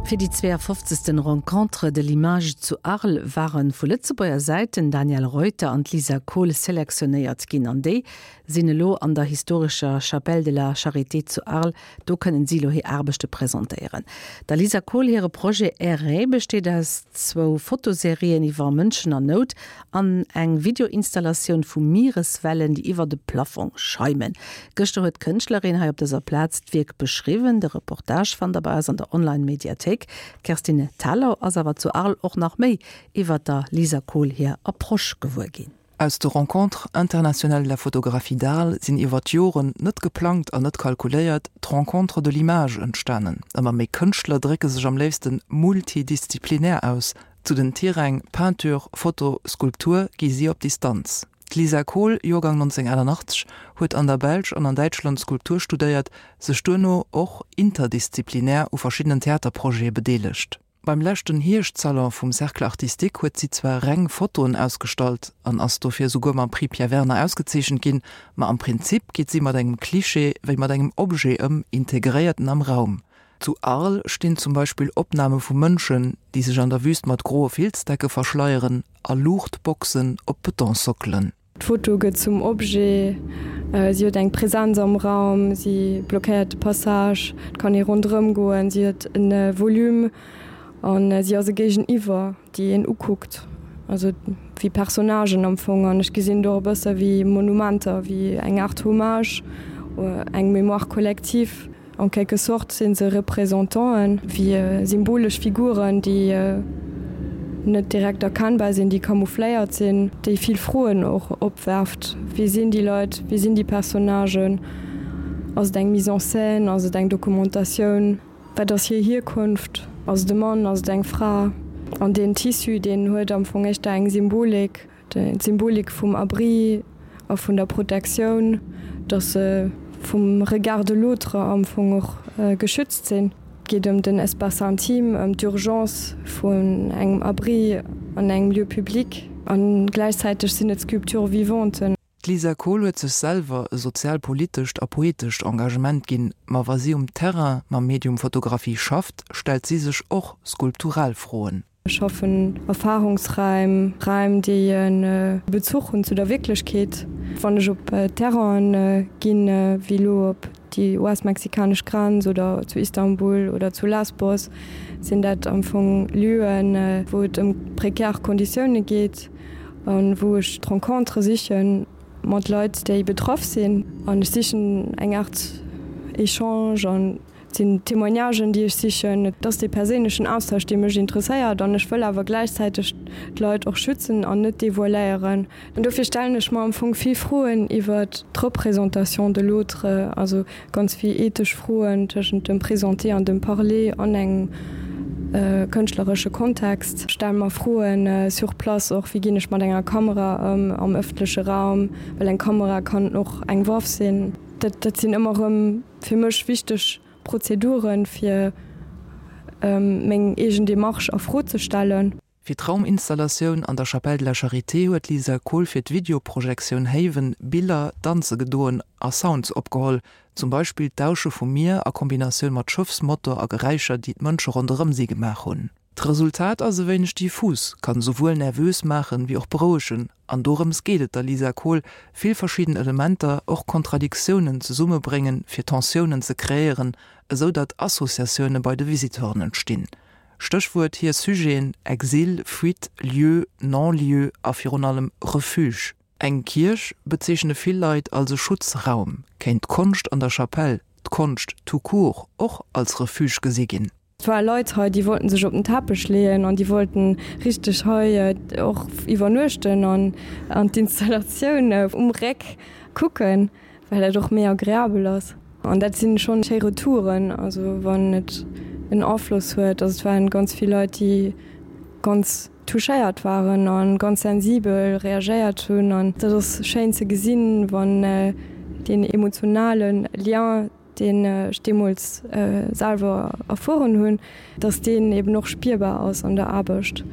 Fir déi 52. Rencontres de l'image zu Arles ware vu Lëtzebuerger Säit den Daniel Reuter an d'Lisa Kohl selektionéiert ginn an déi sinn elo an der historescher Chapelle de la Charité zu Arles. Do kënnen si elo hir Aarbechte presentéieren. Der Lisa Kohl hire Projet Errer besteet aus zwou Fotoserien iwwer Mënschen an Nout An eng Videoinstallatioun vu Miereswellen, déi iwwer de Plafong schaimen. Gëschter huet d'Kënschtlerin hei op dëser Plaz d'Wierk beschriwwen. De Reportage fannt der bei eis an der Online-Mediathéik. D'Kerstin Thalau ass awer zu Arles och nach méi iwwer der Lisa Kohl hir Approche gewuer ginn. Aus de Rencontres internationales de la photographie d'Arles sinn iwwer d'Joren, net geplangt an net kalkuléiert, d'Rencontres de l'image entstanen. Ëmmer méi Kënschtler drécke sech am léifsten multidisziplinär aus, Zu den Tiräng Peinture, Foto, Skulptur gi si op Distanz. D'Lisa Kohl, Joergang 1988, huet an der Belsch an an Däitschland Skulptur studéiert, sech duerno och interdisziplinär u verschiddenen Theaterprojete bedeelegt. Beim leschten Hierschtsalon vum Cercle Artistique huet si zwar reng Fotoen ausgestallt an ass dofir souguer mam Prix Pierre Werner ausgezeechent ginn, ma am Prinzip geet si mat engem Klischee wéi mat engem Objet ëm, integréiert en am Raum. Zu Arles stinn zum Beispill Opname vu Mënschen, déi sech an der Wüst mat groe Filzdecke verschleieren a Luuchtboxen op Betonsockelen. D'Foto gëtt zum Objet, si huet eng Präsenz am Raum, si blockéiert de Passage, et kann ee ronderëm goen, si huet e Volume an si ass e Géigeniwwer, déi een ukuckt, also wéi Personnagen am Fong. An ech gesinn do och e bësse wéi Monumenter, wéi eng Aart Hommage, eng Mémoire collective. En quelque sorte si se Représentanten, wéi symbolesch Figuren, déi net direkt erkennbar sinn, déi camoufléiert sinn, déi vill Froen och opwerft, Wie sinn déi Leit? Wie sinn déi Personnagen? Ass et eng Mise en scène? Ass et eng Dokumentatioun? Wat ass hir Hierkonft? Ass et e Mann? Ass et eng Fra? An deen Tissu, deen huet am Fong éischter eng Symbolik, d'Symbolik vum Abri a vun der Protektioun, dass se vum Regard de l'autre am Fong och geschützt sinn. Et geet ëm den Espace intime, ëm d'Urgence vun engem Abri an engem Lieu public a gläichzäiteg sinn et Sculptures vivantes. D'Lisa Kohl huet sech selwer e sozialpolitescht a poetescht Engagement ginn, ma wa si um Terrain mam Medium Fotografie schafft, stellt si sech och skulptural Froen. Ech schaffen Erfahrungsräim, Räim, déi e Bezuch hunn zu der Wierklechkeet. Wann ech op Terrainen ginn, wéi elo op déi US-mexikanesch Grenz oder zu Istanbul oder zu Lesbos, sinn dat am Fong Lieuen, wou et ëm prekär Konditioune geet a wou ech d'Rencontre siche mat Leit, déi betraff sinn. An ech sichen eng Aart Echange an Et sinn Témoignagen, déi ech sichen. Et ass dee perséinlechen Austausch, dee mech interesséiert. An ech wëll awer gläichzäiteg d'Leit och schützen an net devoiléieren. An dofir stellen ech mer am Fong vill Froen iwwer d'Représentation de l'autre, also ganz vill ethesch Froen tëschent dem Présenter an dem Parler an engem kënschtleresche Kontext. Ech stelle mer Froen sur place och, wéi ginn ech mat enger Kamera ëm am ëffentleche Raum, well eng Kamera kann och eng Waff sinn. Dat sinn ëmmer erëm fir mech wichteg Prozeduren, fir meng eegen Demarche a Fro ze stellen. Fir d'Rauminstallatioun an der Chapelle de la Charité huet d'Lisa Kohl fir d'Videoprojektioun Haven Biller danze gedoen a Sounds opgeholl, zum Beispill d'Dausche vum Mier a Kombinatioun mat Schëffsmotor a Geräischer, déi d'Mënsche ronderëm si gemaach hunn. D'Resultat ass e wéineg diffus, kann esouwuel nervös maachen, wéi och berouegen. An dorëms geet et der Lisa Kohl, vill verschidden Elementer, och Kontradiktiounen zesummebréngen, fir Tensiounen ze kreéieren, esou datt Associatioune bei de Visiteuren entstinn. Stéchwuert hir Sujeten, Exil, Fuite, Lieu, Non-lieu a virun allem Refuge. Eng Kierch bezeechne vill Leit als e Schutzraum. Kéint d'Konscht an der Chapelle, d'Konscht tout court, och als Refuge gesi ginn? Et ware Leit hei, déi wollten sech op den Teppech leeën an déi wollten richteg hei och iwwernuechten an an d'Installatioun um Réck kucken, well dat och méi agreabel ass. An dat sinn schonn schéi Retouren, also wann et en Afloss huet. Also et waren ganz vill Leit, déi ganz touchéiert waren a ganz sensibel reagéiert hunn an dat ass schéin ze gesinn, wann deen emotionale Lien, deen ech deemools selwer erfueren hunn, dass deen eben och spierbar ass an der Aarbecht,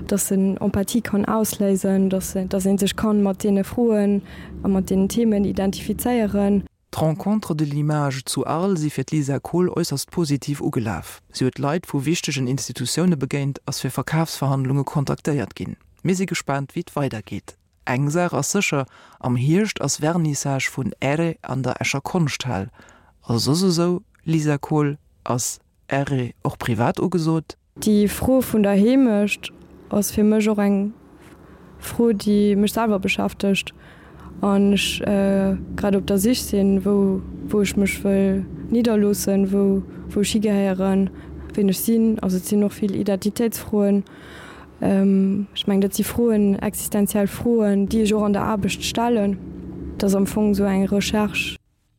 dass en Empathie kann ausléisen, dass dass ee sech kann mat deene Froen a mat deenen Themen identifizéieren. D'Rencontres de l'image zu Arles si fir d'Lisa Kohl äusserst positiv ugelaf. Si huet Leit vu wichtegen Institutioune begéint, ass fir Verkafsverhandlunge kontaktéiert ginn. Mir si gespaant, wéi et weidergeet. Eng Saach ass sécher, am Hierscht ass Vernissage vun Erre an der Escher Konschthal. A soss esou, Lisa Kohl, ass Erre och privat ugesot? Déi Fro vun der Heemecht ass fir mech och eng Fro, déi mech selwer beschäftegt an ech grad op der Sich sinn, wou wou ech mech wëll nidderloossen, wou wou ech higehéieren, ween ech sinn. Also et sinn och vill Identitéitsfroen. Ech mengen, dat si Froen, existenziell Froen, déi ech och an der Aarbecht stellen. Et ass am Fong esou eng Recherche.